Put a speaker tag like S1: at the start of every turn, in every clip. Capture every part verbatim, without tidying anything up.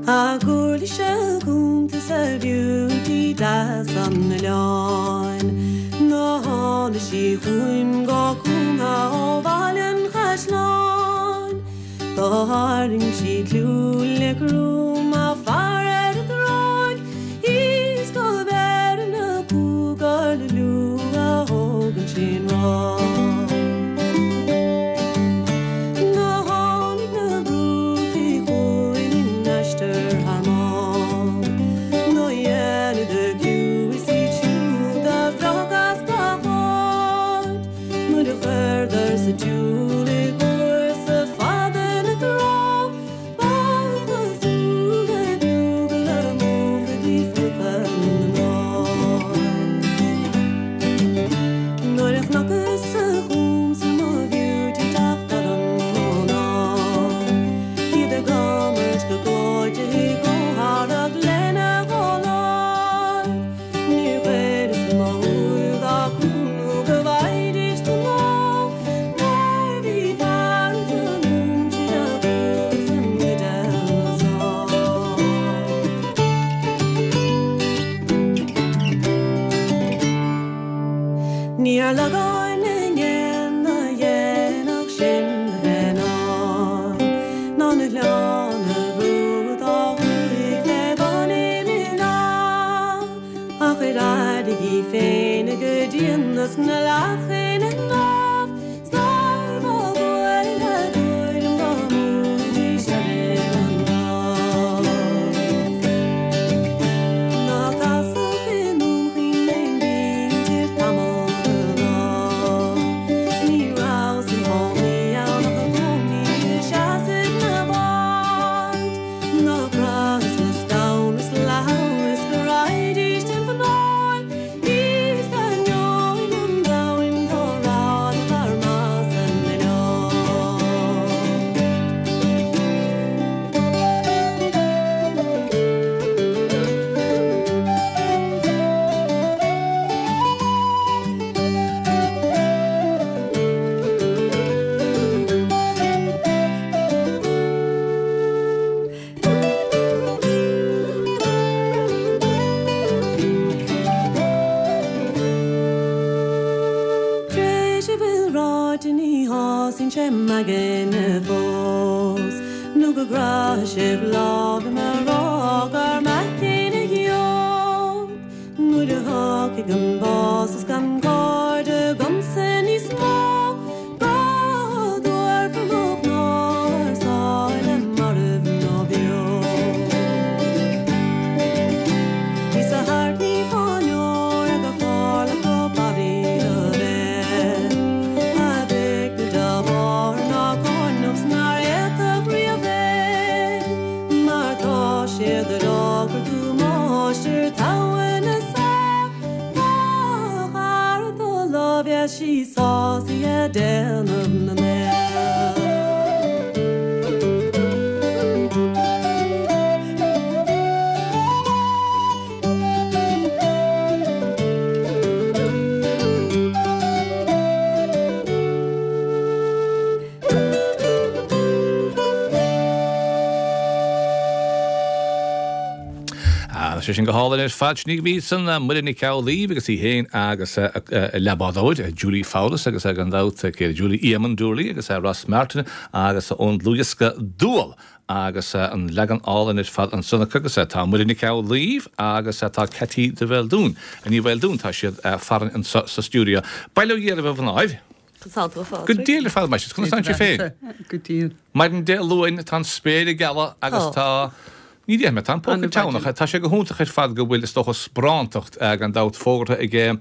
S1: A gcuirle se gúntas a beauty deas an oileáin. Ná tháinig sí chugam go cúnga ó Bhaile an Chaisleáin. Do tharraing sí clú le grúm a fear ar an dtráigh, Is go bhfeireann na cúgar le liú a thógann sin ráig. Ná tháinig na brútaí chugainn in aistear thar máil, Ná dhéanadh a gclú is iad siúd a bhreac as gach áit, Nuair a chuireadar sa tsiúl i gcúrsa fada na trá, Ba chosúil le bugle a múchadh fiuchadh na mná. Nuair a chnocas sa chúmsa mo bheauty teacht orm ón ál, Iad ag imirt go gleoite i gcomhtharrac lena gcomhláid. Níor chuireas mo shúil dá cúnú go bhfaighidís don lá, Mar bhí fear san únsin a bhuas an gcuid eile sá. Ní ar lagáin na ngéan a dhéanfadh sin le hennáin, Ná na gleann a bhrú dá thuaidh fé bhun Imín Ach ar airigí féin go dianas na leachain an lámh, Snar bhfuil le dúil go múdís ar an lámh. Ná casadh i nDún Chaoin b'fhéidir tamall de lá. Ní raibh san chónaí ann ach i gcónaí i seasamh na báid. Ná cras na scamh is leabhar go raghaidís den mhnáil, Is d'ainneoin an domhain go raibh fear maith san oileán. Tréis a bhfuil ráite ní shásaíonn sé m'aigne fós, Nó go gcroithfidh sibh lámh liom a rá gur mé céanna gheobh. Nuair a thiocfaidh an bás is gan cairde agamsa níos mó, Go dtabharfar mo chnámha ar sáile marbh nó beo. Is a thart ní fáinneoir ag a tharla go barraí do bheith. A bheidh na dá ná coinneach nár fhéadfadh riamh é. Mar tá siad ag rá gur tú máistir togha na saor, Má chara do láimhe sí sásaithe déanamh na mbeith.
S2: Sé sin go hálainn ar fad ní bhí san Muireann Nic Amhlaoibh agus í féin agus a leathbhádóir Julie Fowlis agus ag an dabht Julie Eamon Dooley agus Ross Martin agus ón dlúthdhiosca Dual agus an leagan álainn ar fad ansan agus tá Muireann Nic Amhlaoibh agus tá Ceaití de Bheildiún. Ní Bheildiún tá siad farainn an sa stiúideo. Bail ó Dhia oraibh a mhnáibh? Go diail ar fad meis, conas tá féin.
S3: Go diail.
S2: Maidin Dé Luain tá an spéir ag gealadh agus tá Ní dé tá an póca teannach tá sé go hiontach ar fad go bhfuil is dócha sparántacht gan dabht fógartha ag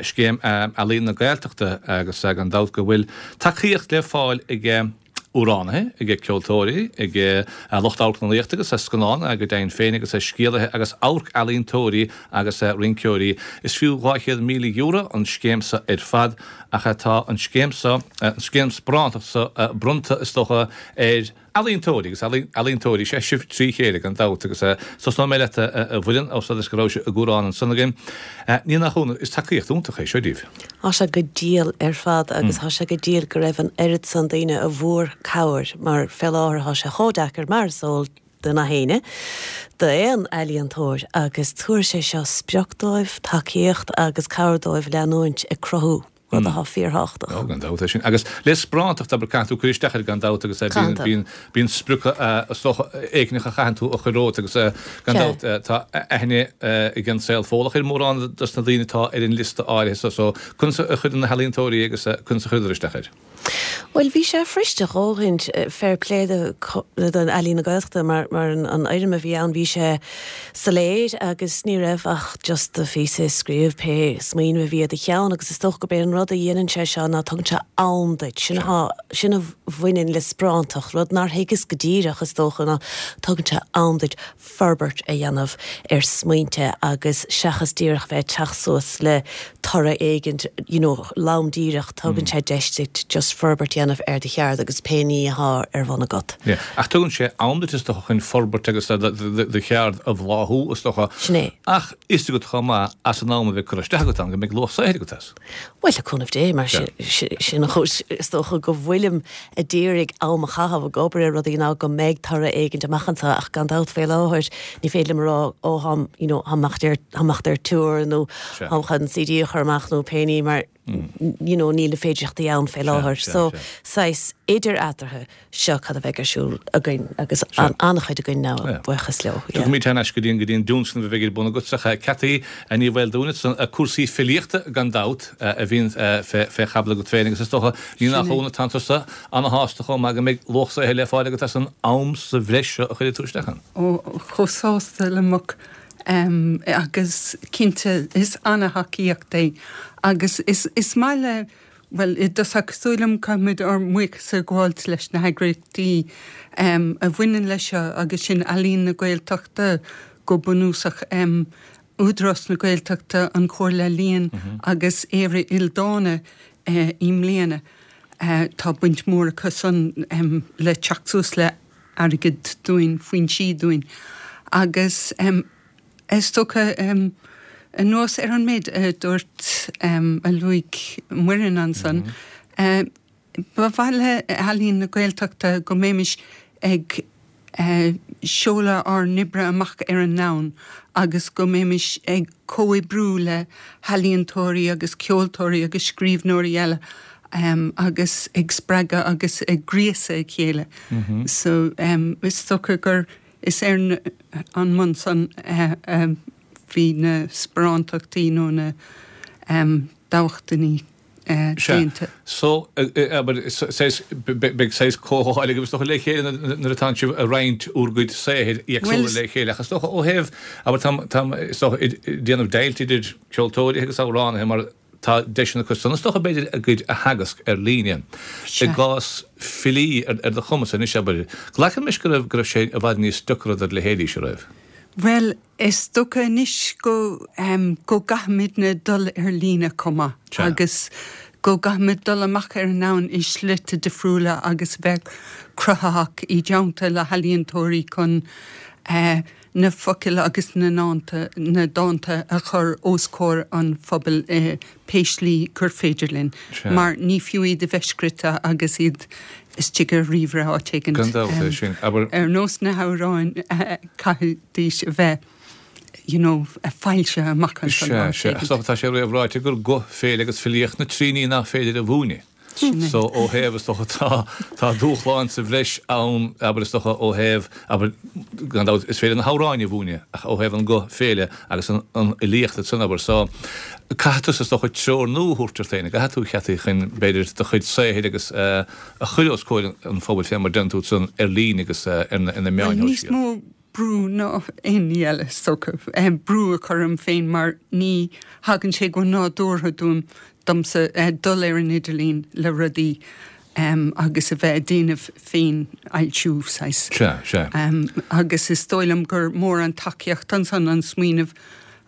S2: scéim Ealaíon na Gaeltachta agus gan dabht go bhfuil tacaíocht le fáil ag amhránaithe, ag ceoltóirí, ag lucht amharclannaíochta agus scannán go deimhin féin agus scéalaithe agus amharc-ealaíontóirí agus rinceoirí. Is fiú dhá chéad míle euro an scéim seo ar fad ach tá an scéim seo an scéim sparántacht seo bronnta is dócha ar ealaíontóirí agus ealaíontóirí sé sibh trí chéile gan dabht agus tosnóidh mé leat a Mhuireann ó is go raibh sé i gcúrán ansan againn. Ní nach ionadh is tacaíocht iontach é seo díobh.
S4: Tá sé go diail ar fad agus tá sé go diail go raibh an oiread san daoine a bhfuair cabhair mar fé láthair tá sé chomh deacair mar is eol do na héinne, d'aon ealaíontóir agus tabharfaidh sé seo sprioc dóibh, tacaíocht agus cabhair dóibh leanúint ag cruthú, rud atá fíorthábhachtach.
S2: Ó, gan dabht é sin. Agus le sparántacht, abair, caithfidh tú cur isteach air gan dabht agus bíonn, bíonn, bíonn sprioca is dócha éigineach a chaitheann tú a chur romhat agus gan dabht tá aithne ag an saol Fódhlach ar mórán dos na daoine atá ar an liosta áirithe so, so conas a chuireann na healaíontóirí agus conas a chuireadar isteach air?
S4: Bhuel, bhí sé fuirist a dhóthain, fair play do Ealaín na Gaeltachta mar mar an fhoirm a bhí ann, bhí sé soiléir agus ní raibh ach just do phíosa a scríobh, pé smaoineamh a bhí i do cheann agus is dócha gurb é an rud a dhéanann sé seo ná tugann sé am duit, sin atá, sin a bhaineann le sparántacht, rud nár thuigeas go díreach is dócha ná tugann sé am duit forbairt a dhéanamh ar smaointe agus seachas díreach bheith ag teacht suas le toradh éigin, you know, lom díreach, tugann sé deis duit just forbairt a dhéanamh ar do cheard agus pé ní atá ar bun agat.
S2: Yeah. Ach tugann sé am duit is dócha chun forbairt agus do cheard a bhláthú is dócha.
S4: Sin é.
S2: Ach is agat chomh maith as an am a bheith curtha isteach agat ann go mbeidh luach saothair agat as.
S4: Bhuel, le cúnamh Dé, mar sin an chúis is dócha go bhfuilim a d'iarraidh am a chaitheamh ag obair ar rudaí ná go mbeidh toradh éigin amach anseo ach gan dabht fé láthair ní féidir liom a rá ó tháim you know táim ar táim ar tour nó táim chun C D a chur amach nó pé ní mar you know níl na féidearthachtaí ann fé láthair. So saghas idir eatarthu seo cad a bheidh ar siúl againn agus an-chuid againn ná buíochas leo.
S2: Tugaimid thar n-ais go dtí an go dtí an tionscnamh a bheidh ar bun agat sa Cathy Ní Mhaoldomhain san cúrsaí filíochta gan dabht a bhíonn fé fé chaibidil agat féin agus is dócha ní nach ionadh tánn tusa ana-shásta chomh maith go mbeidh luach saothair le fáil agat as an am sa bhreis seo a chuirfidh tú isteach ann.
S3: Ó, chomh sásta le muc um, agus cinnte is an-thacaíocht é agus is, is maith le well i dtosach is dóigh liom caithfimid ár mbuíochas a ghabháilt leis na heagraíochtaí um, a bhaineann leis seo agus sin Ealaín na Gaeltachta go bunúsach um, Údarás na Gaeltachta, an Chomhairle Ealaíon mm -hmm. agus Éire Ildánach uh, i mbliana. Uh, tá baint mór acu san um, le teacht suas le airgead dúinn, foinsí dúinn. Agus um, is dócha um, anuas ar an méid a dúirt um, a luaigh Muireann ansan. Mm -hmm. uh, ba mhaith le Ealaín na Gaeltachta go mbeimis ag uh, seoladh ár n-oibre amach ar an domhan agus go mbeimis ag comhoibriú le healaíontóirí agus ceoltóirí agus scríbhneoirí eile um, agus ag spreagadh agus ag gríosadh a chéile. Mm -hmm. So um, is dócha gur is ar an mbonn san uh, uh, bhí na sparántachtaí nó na um, dámhachtainí uh, déanta.
S2: So beidh saghas comhdháil agus le chéile nuair atá sibh ag roinnt bhur gcuid saothair éagsúla le chéile agus ó thaobh abair tá déanamh deighilt idir ceoltóirí agus amhránaithe mar tá deiseanna acu san is dócha b'fhéidir a gcuid a theagasc ar líne. I gcás filí ar ar do chumas anois abair. Glacaim leis go raibh go raibh sé i bhfad níos deacra do leithéidí seo roimh.
S3: Well, is dócha anois go um, go gcaithfimidne dul ar líne chomh maith agus go gcaithfimid dul amach ar an domhan i slite difriúla agus bheith cruthaitheach i dteannta le healaíontóirí chun uh, na focail agus na nánta na dánta a chur os comhair an phobail uh, pé slí gur féidir linn. Mar ní fiú iad a bheith scríte agus iad istigh ar ríomhaire áit éigin.
S2: Gan dabht é sin. Abair
S3: ar nós na hamhráin caithfidís a bheith you know, a foilsithe amach
S2: an Sea, sea. Is dócha tá sé réamhráite gur guth, féile agus filíocht na trí ní nach féidir a mhúineadh. So ó thaobh is dócha tá tá dúshlán sa bhreis ann abair is dócha ó thaobh abair gan dabht is féidir na hamhráin a mhúineadh ach ó thaobh an guth féile agus an an fhilíocht san abair so caithfidh tú is dócha treoir nua a thabhairt ort féin caithfidh tú Cathy chun b'fhéidir do chuid saothair agus a chur os comhair an phobail fé mar déanann tú san ar líne agus ar na ar na meáin
S3: Níos mó brú ná aon ní eile is dócha brú a chur orm féin mar ní thagann sé go nádúrtha dom domsa dul ar an idirlíon le rudaí um, agus a bheith ag déanamh féinfhoilsiú saghas.
S2: Sea, sea.
S3: Um, agus is dóigh liom gur mór an tacaíocht ansan an smaoineamh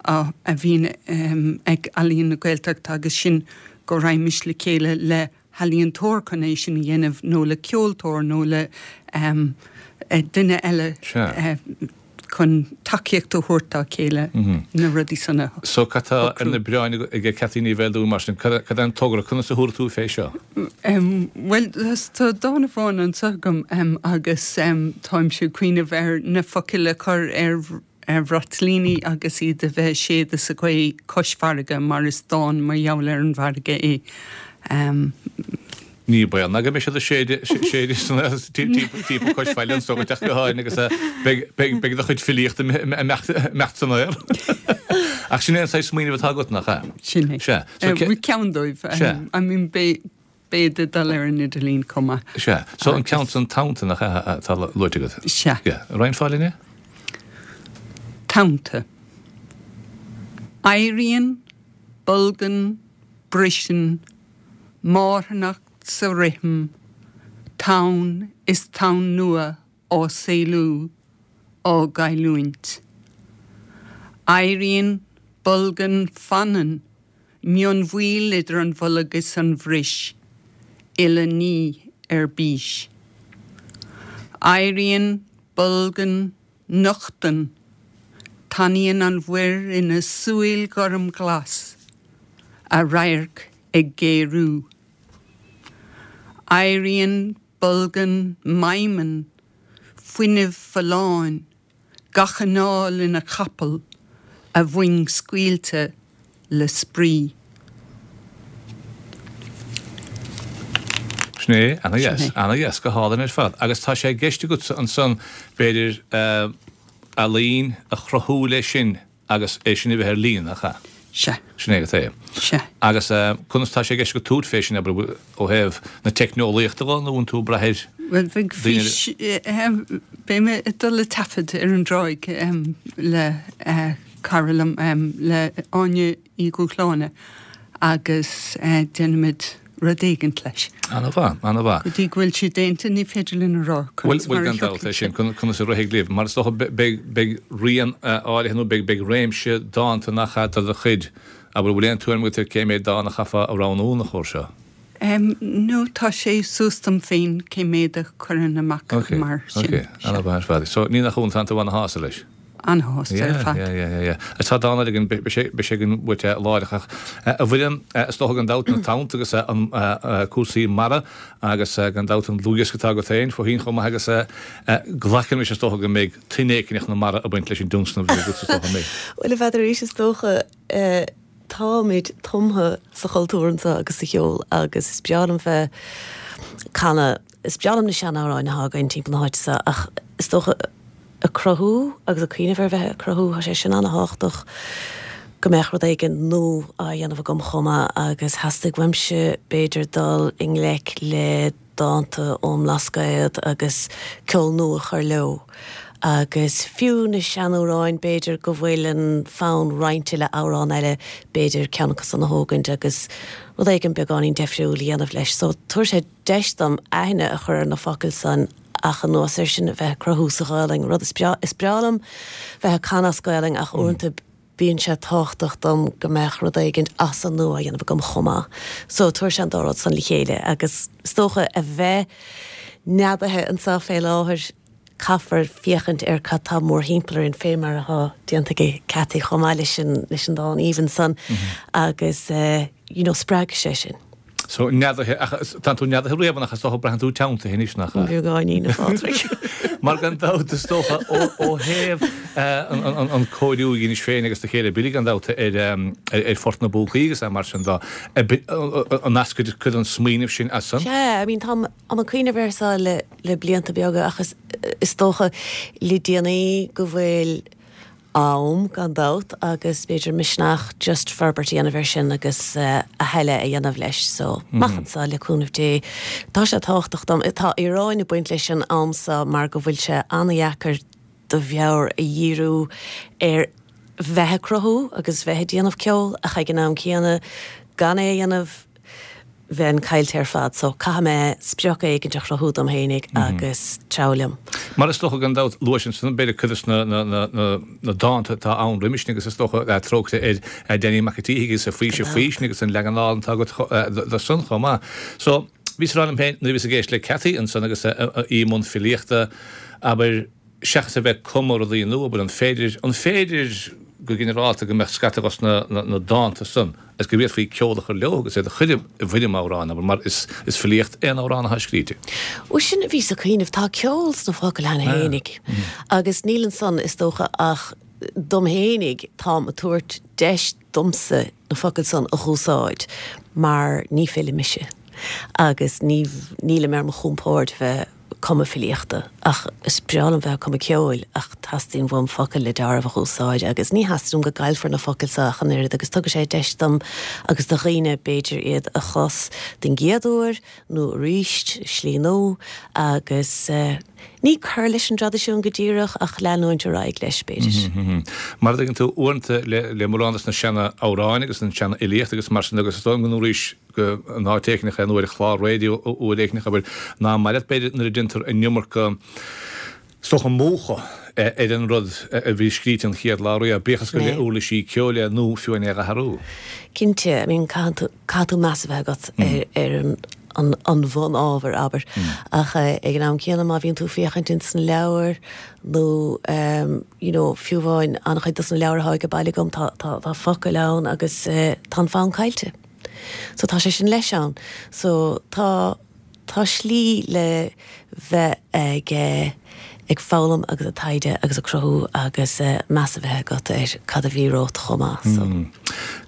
S3: a, a bhíonn um, ag Ealaín na Gaeltachta agus sin go raghaimís le chéile le healaíontóir chun é sin a dhéanamh nó le ceoltóir nó le um, duine eile
S2: Sea.
S3: uh, chun tacaíocht a thabhairt dá chéile na rudaí san a
S2: So cad tá ar na bioráin ag Cathy Ní Bhéil dúinn mar sin, cad é an togra, conas a thabharfaidh tú fé seo?
S3: Bhuel, tá dán amháin anseo agam agus táimse ag cuimhneamh ar na focail a chur ar ar bhraitlíní agus iad a bheith ag séideadh sa ghaoth cois farraige mar is dán mar gheall ar an bhfarraige é.
S2: Ní baol ná go mbeidh siad ag séideadh san timpeall cois faille anso go dteach go háirithe agus beidh do chuid filíochta ag imeacht san aer. Ach sin é an saghas smaoineamh atá agat, nach ea?
S3: Sin é.
S2: Sea.
S3: Ceann dóibh.
S2: Sea.
S3: I mean beidh beidh ag dul ar an idirlíon chomh maith.
S2: Sea. So an ceann san Tonnta, nach ea, atá luaite agat?
S3: Sea.
S2: Yeah. Roinnfeá linn é?
S3: Tonnta. Éiríonn, bolgann, briseann, marthanacht sa rithim, tonn is tonn nua á saolú, á gcailliúint. Éiríonn, bolgann, fanann, mionbhaol idir an bholg is an bhris, uile ní ar bís. Éiríonn, bolgann, nochtann, tanaíonn an mhuir ina súil ghormghlas, a radharc ag géarú. Éiríonn, bolgann, maidhmeann, fuinneamh folláin, gach anáil ina capall, a mhoing scaoilte le spraoi.
S2: Sin é, ana-dheas, ana-dheas, go hálainn ar fad. Agus tá sé i gceist agatsa ansan, b'fhéidir, ealaín a chruthú leis sin agus é sin a bheith ar líne, nach ea?
S3: Sea.
S2: Sin é agat é.
S3: Sea.
S2: Agus conas tá sé i gceist agat tabhairt fé sin, abair, ó thaobh na teicneolaíochta de, nó an tú ag brath ar
S3: Bhuel, bheadh fís, beidh mé ag dul ag taifead ar an dtráigh le cara liom, le Áine Uí Dhúshláine agus déanfaimid rud éigint leis.
S2: Ana-mhaith, ana-mhaith.
S3: Go dtí go bhfuil sé déanta ní féidir linn a rá
S2: conas mar a thiocfaidh sé. Bhuel, gan dabht é sin, conas a rithfidh libh. Mar is dócha beidh, beidh rian áirithe nó beidh, beidh réimse dánta nach ea de do chuid. Abair, bhfuil aon tuairim agat ar cé méid dán a chaithfeá a roghnú ina chomhair seo?
S3: No, tá sé suas dom féin cé méid a chuirfinn amach mar sin.
S2: Ok, ok, ana-mhaith ar fad. So, ní nach ionadh, tánn tú ana-shásta leis?
S3: An-shásta ar fad.
S2: Yeah, yeah, yeah, yeah. Agus tá dán eile againn, beidh sé, beidh sé againn uait láithreach ach a Mhuireann, is dócha gan dabht na tonnta agus an cúrsaí mara agus gan dabht an dlúthdhiosca atá agat féin fós féin chomh maith agus glacann is dócha go mbeidh tuin éicineach na mara ag baint leis an dtionscnamh a bhí agat is dócha an mbeidh?
S4: Bhuel, a Pheadair, arís is dócha táimid tumtha sa chultúr anseo agus sa cheol agus is breá liom bheith ag canadh, is breá liom na seanamhráin atá againn timpeall na háite seo ach is dócha ag cruthú agus ag cuimhneamh ar bheith ag cruthú, tá sé sin an-thábhachtach go mbeadh rud éigin nua á dhéanamh agam chomh maith agus theastaigh uaimse b'fhéidir dul i ngleic le dánta ón mBlascaod agus ceol nua a chur leo agus fiú na seanamhráin b'fhéidir go bhfuil an fonn roinnte le amhrán eile b'fhéidir ceann acu san a thógaint agus rud éigin beagáinín deifriúil a dhéanamh leis so tabharfaidh sé deis dom aithne a chur ar na focail san ach anuas air sin a bheith ag cruthú sa Ghaelainn, rud is breá, is breá liom bheith ag canadh as Gaelainn ach uaireanta bíonn sé tábhachtach dom go mbeadh rud éigint as an nua á dhéanamh agam chomh maith. So tabharfaidh sé an dá rud san le chéile agus is dócha a bheith neadaithe anseo fé láthair caithfear féachaint ar cad tá mórthimpeall orainn fé mar atá déanta ag Cathy chomh maith leis an leis an dán aoibhinn san agus you know spreagfaidh sé sin.
S2: So, neadaithe, ach tánn tú neadaithe riamh ach is dócha braitheann tú teanntaithe anois, nach ea?
S4: Beagáinín, a Phádraig.
S2: Mar gan dabht is dócha ó thaobh an cóiriú a dheinis féin agus do chéile Billy gan dabht ar ar Phort na bPúcaí agus mar sin de, an eascair cuid den smaoineamh sin as san?
S4: Sea, I mean táim ag cuimhneamh air seo le le blianta beaga ach is is dócha le déanaí go bhfuil am, gan dabht, agus b'fhéidir misneach just forbairt a dhéanamh air sin agus a thuilleadh a dhéanamh leis. So, amach anseo, le cúnamh Dé. Tá sé tábhachtach dom. Tá íoróin ag baint leis an am seo mar go bhfuil sé an-dheacair do mheabhair a dhíriú ar bheith ag cruthú agus bheith ag déanamh ceoil ach ag an am céanna gan é a dhéanamh, bheinn caillte ar fad so caithfidh mé sprioc éigint a chruthú dom fhéinig agus treabhadh liom.
S2: Mar is dócha gan dabht, luais ansan b'fhéidir cuid de na dánta atá ann roimis sin agus is dócha trócaire ar Danny Mac an tSíthigh agus a Faoiseamh Faoistine agus an leagan álainn atá agat de san chomh maith. So, bhíos ag rá liom féin nuair a bhíos ag éisteacht le Cathy ansan agus í i mbun filíochta, abair, Seachas a bheith ag cumadh rudaí nua, abair, an féidir, an féidir go ginearálta go mbeadh scata dos na, na, na dánta san agus go bhféadfaí ceol a chur leo agus iad a chur i bhfoirm amhráin, abair, mar is, is filíocht aon amhrán atá scríte.
S4: Bhuel, sin a bhíos ag cuimhneamh, tá ceol sna focail cheana fhéinig agus níl ansan, is dócha, ach dom fhéinig, táim ag tabhairt deis domsa na focail san a dh'úsáid mar ní file mise agus ní, nílim ar mo chompord bheith cumadh filíochta ach is breá liom bheith ag cumadh ceoil ach teastaíonn uaim focail le dealramh a dh'úsáid agus ní theastaíonn uaim go gcaillfear na focail so ach an oiread agus tugann sé deis dom agus do dhaoine b'fhéidir iad a chlos den gcéad uair nó arís i slí nua agus ní cur leis an dtraidisiún go díreach ach leanúint ar aghaidh leis b'fhéidir.
S2: Mar a dtuigeann tú, uaireanta le mórán dos na seana-amhráin agus an tseana-fhilíocht agus mar sin agus is dóigh liom go ndúraís go in áit éicneach é nó ar chlár raidió uair éicneach abair, nach maith leat b'fhéidir nuair a deintear an iomarca is dócha múchadh ar an rud a bhí scríte an chéad lá riamh, bíodh is gur le uirlisí ceoil é nó fiú é a athrú.
S4: Cinnte, I mean caithfidh tú, caithfidh tú meas a bheith agat ar, ar an, an, an bhun-ábhar, abair. Ach ag an am céanna má bhíonn tú ag féachaint ins na leabhair nó you know fiú amháin an-chuid dos na leabhair atá ag baile agam tá, tá, tá focail ann agus tá an fonn caillte. So tá sé sin leis ann. So tá, tá slí le bheith ag eh, ag foghlaim agus ag taighde agus ag cruthú agus eh, meas a bheith agat ar cad a bhí romhat chomh maith. So.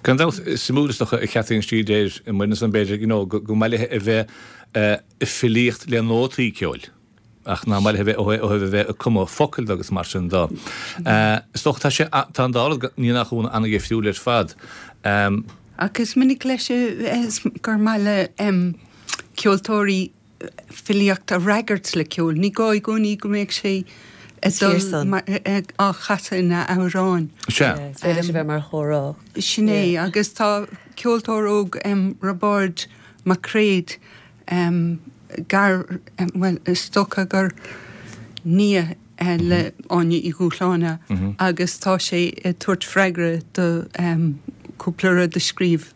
S2: Gan dabht, suimiúil is dócha a Chathy an tslí deir Muireann ansan b'fhéidir, you know, go, go mba maith léi a bheith eh, ag filíocht le nótaí ceoil. Ach nach maith léi a bheith ó thaobh ó thaobh a bheith ag cumadh focail de agus mar sin de. Eh, is dócha tá sé, tá an dá rud, ní nach ionadh, an-dhifriúil ar fad. Em.
S3: Ach is minic leis gur maith le ceoltóirí filíocht a fhreagairt le ceol. Ní gá i gcónaí go mbeadh sé ag dul á chasadh ina amhrán.
S2: Sea.
S4: Is féidir leis a bheith mar chomhrá.
S3: Sin é. Agus tá ceoltóir óg, Roibeárd Mac Craith, gar, bhuel, is dócha gur nia le Áine Uí Dhúshláine agus tá sé ag tabhairt freagra do cúpla rud a scríobh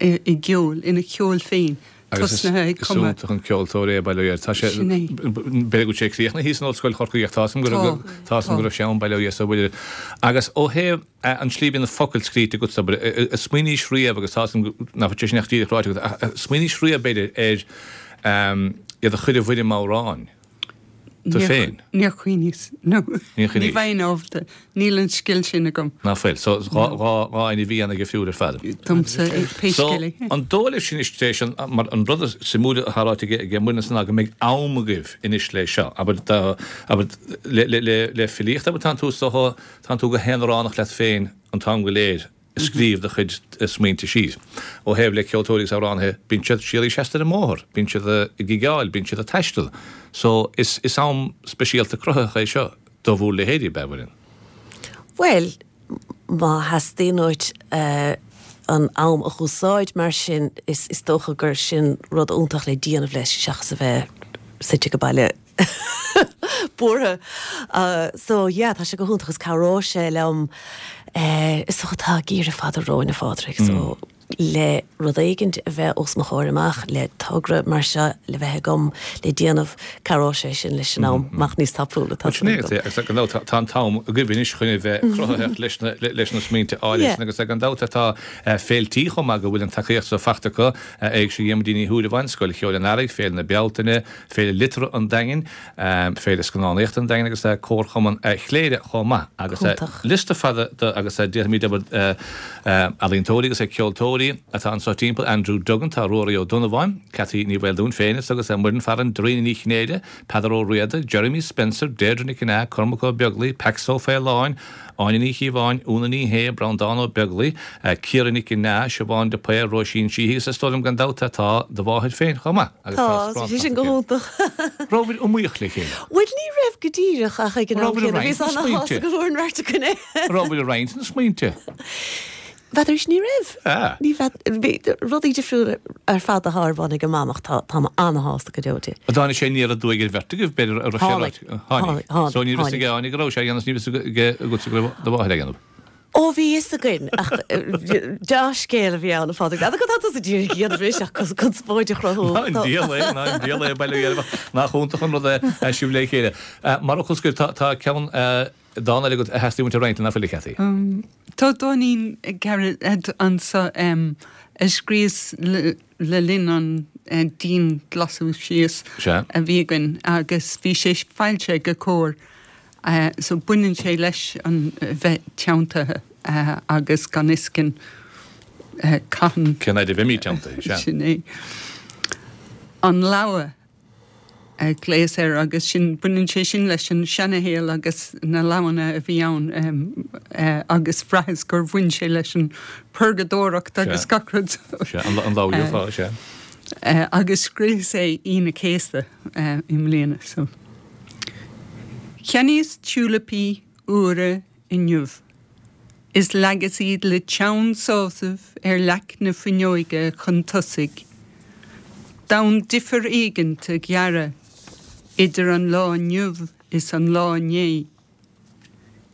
S3: i gceol, ina cheol féin, tosnaithe ag
S2: cumadh. Is iontach an ceoltóir é, bail ó Dhia air. Tá sé, b'fhéidir go bhfuil sé críochnaithe thíos in Ollscoil Chorcaí ach tá 'fhios agam tá 'fhios agam go raibh sé ann, bail ó Dhia air, bhuel. Agus ó thaobh an tslí a bhíonn na focail scríte agat, abair, ar smaoiníos riamh agus tá 'fhios agam nach bhfuil sé sin ach díreach ráite agat, ach ar smaoiníos riamh b'fhéidir ar iad a chur i bhfoirm amhráin? Tú féin?
S3: Níor chuimhníos. No. Níor chuimhníos. Ní bheinn ábalta. Níl an scil sin agam.
S2: Ná fuil. So, dhá, dhá, dhá aon a bhí an-dhifriúil ar fad.
S3: Domsa, pé
S2: So,
S3: scéal é.
S2: an dóigh libh sin anois tar éis an, mar an rud is suimiúil atá ráite aige, aige Muireann ansan ná go mbeidh am agaibh anois le seo. Abair, dá, abair, le, le, le, le filíocht, abair, tánn tú, is dócha, tánn tú go haonaránach leat féin an t-am go léir. scríobh do chuid smaointe síos. Ó thaobh le ceoltóirí agus amhránaithe, bíonn siad síoraí seasta ar an mbóthar, bíonn siad ag gigeáil, bíonn siad ag taisteal. So, is is am speisialta cruthaitheach é seo do bhur leithéidí, ab ea, a Mhuireann?
S4: Bhuel, má theastaíonn uait an am a dh'úsáid mar sin, is is dócha gur sin rud iontach le déanamh leis seachas a bheith suite ag baile. buartha. So yeah, tá sé go hiontach agus cabhróidh sé liom is dócha tá geimhreadh fada romhainn a Phádraig so le rud éigint a bheith os mo chomhair amach, le togra mar seo le bheith agam le déanamh, cabhróidh sé sin leis an am amach níos tapúla
S2: tá súil agam. Agus gan dabht tá an t-am agaibh anois chun a bheith cruthaitheach leis na leis na smaointe áirithe sin agus gan dabht tá féiltí chomh maith go bhfuil an tacaíocht so faighte acu, Éigse Dhiarmuidín Uí Shúilleabháin, Scoil Cheoil an Earraigh, Féile na Bealtaine, Féile Liteartha an Daingin, Féile Scannánaíochta an Daingin agus Comharchumann Chléire chomh maith. Agus liosta fada de agus déarfaimid abair ealaíontóirí agus ceoltóirí atá anseo timpeall, Andrew Duggan, tá Ruairí Ó Donnabháin, Cathy Ní Mhaoldomhain féin agus Muireann Farren, Dairena Ní Chinnéide, Peadar Ó Riada, Jeremy Spencer, Deirdre Nic Con Ádhaimh, Cormac Ó Beaglaoich, Pax Ó Faoláin, Áine Ní Chíobháin, Úna Ní Shé, Breandán Ó Beaglaoich, Ciara Nic Con Ádhaimh, Siobhán de Paor, Róisín Sheehy agus is dóigh liom gan dabht tá do mháthair féin chomh maith agus
S4: tá Tá, tá sé sin go hiontach.
S2: Rabhabhair iomaíoch le chéile?
S4: Bhuel ní raibh go díreach ach ag an am
S2: Rabhabhair ag
S4: céanna
S2: roinnt
S4: bhíos
S2: na
S4: ana-shásta
S2: smaointe?
S4: go bhfuair an bheirt againn é.
S2: Rabhabhair ag roinnt na smaointe?
S4: N'fheadar ní raibh.
S2: Ah.
S4: Ní bhead, bhí rudaí difriúla ar fad atá ar bun ag a mam ach tá, táim ana-shásta go deo di.
S2: An dtáinig sé aniar aduaidh ar bheirt agaibh, b'fhéidir, a raibh sé
S4: Tháinig.
S2: ráite? Tháinig.
S4: Tháinig,
S2: So ní raibh
S4: tháinig.
S2: fhios ag Áine go raibh sé a dhéanamh, ní raibh fhios aige agatsa go raibh do mháthair á dhéanamh.
S4: Ó bhí fhios againn ach dea-scéal a bhí ann a Phádraig. N'fheadar cad tá tusa díreach a dhéanamh anois ach conspóid a chruthú.
S2: Ná an diabhal é, ná an diabhal é, bail ó Dhia oraibh. Nach iontach an rud é sibh le chéile. Mar fhocal scoir, tá tá ceann dán eile agat a theastaíonn uait a roinnt, nach bhfuil a Chathy?
S3: Tá dáinín gairid anso a scríos le linn an dianghlasú síos a bhí againn agus bhí sé foilsithe ag Comhar. So baineann sé leis an bheith teanntaithe agus gan fhios againn cathain.
S2: Cén fhaid a bheimid teanntaithe, sea.
S3: Sin é. An leabhadh a ghlaos air agus sin, baineann sé sin leis an seanashaol agus na leabhanna a bhí ann agus bhraitheas gur bhain sé leis an purgadóireacht agus gach rud.
S2: Sea, an leabhadh gheofá, sea.
S3: Agus scríos é Aoine an Chéasta i mbliana so. Cheannaíos tiúilipí úra inniu is leagas iad le teann sásaimh ar leac na fuinneoige chun tosaigh, d'fhonn difear éigint a ghearradh idir an lá inniu is an lá inné,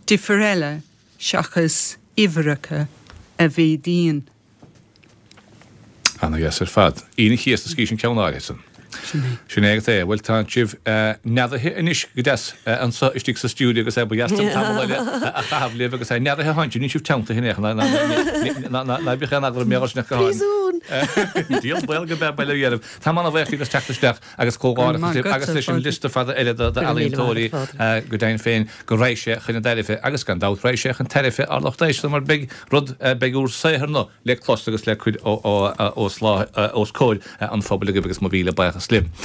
S3: difear eile seachas uimhreacha a mhéadaíonn.
S2: Ana dheas ar fad. Aoine an Chéasta a scríos an ceann áirithe san.
S3: Sin é.
S2: Sin é agat é. Bhuel tá sibh neadaithe anois go deas anso istigh sa stiúideo agus ba dheas liom tamall eile a chaitheamh libh agus neadaithe atánn sibh, níl sibh teanntaithe in aon chor, ná bíodh aon eagla oraibh mé sin ach go háirithe.
S4: Príosún!
S2: Díol baol go b'ea bail ó Dhia oraibh. Táim ana-bhuíoch díbh as teacht isteach agus comhghairdeachas libh agus leis an liosta fada eile d'ealaíontóirí go deimhin féin go raghaidh sé chun a dtairbhe agus gan dabht raghaidh sé chun tairbhe ár lucht éisteachta mar beidh rud, beidh úr saothar-na le clos agus le cur os comhair an phobail agaibh agus mo mhíle buíochas libh.